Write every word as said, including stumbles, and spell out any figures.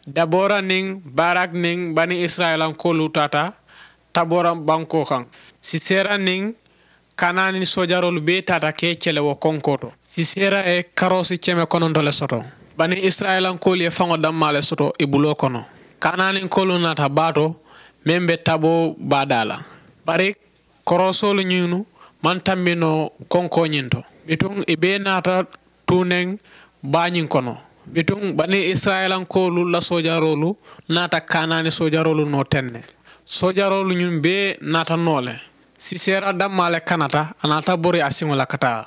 Dabora niŋ barak niŋ bani isirayilankoolu taata tabora bankoo kaŋ. Sisera niŋ kanaani soojaroolu bee taata ka i kele wo konkoo to. Sisera ye karoosi keme kononto le soto. Bani isirayilankoolu ye faŋo dammaa le soto i buloo kono. Kanaaninkoolu naata baa to meŋ be taboo baa daa la. Bari koroosoolu ñiŋ maŋ tambi noo konkoo ñiŋ to. Bituŋ i bee naata tuuneŋ baa ñiŋ kono. Bituŋ bani isirayilankoolu la soojaroolu naata kanaani soojaroolu noo teŋ ne. Soojaroolu ñiŋ bee naata noo le. Sisera dammaa le kanata a naata bori a siŋo la ka taa.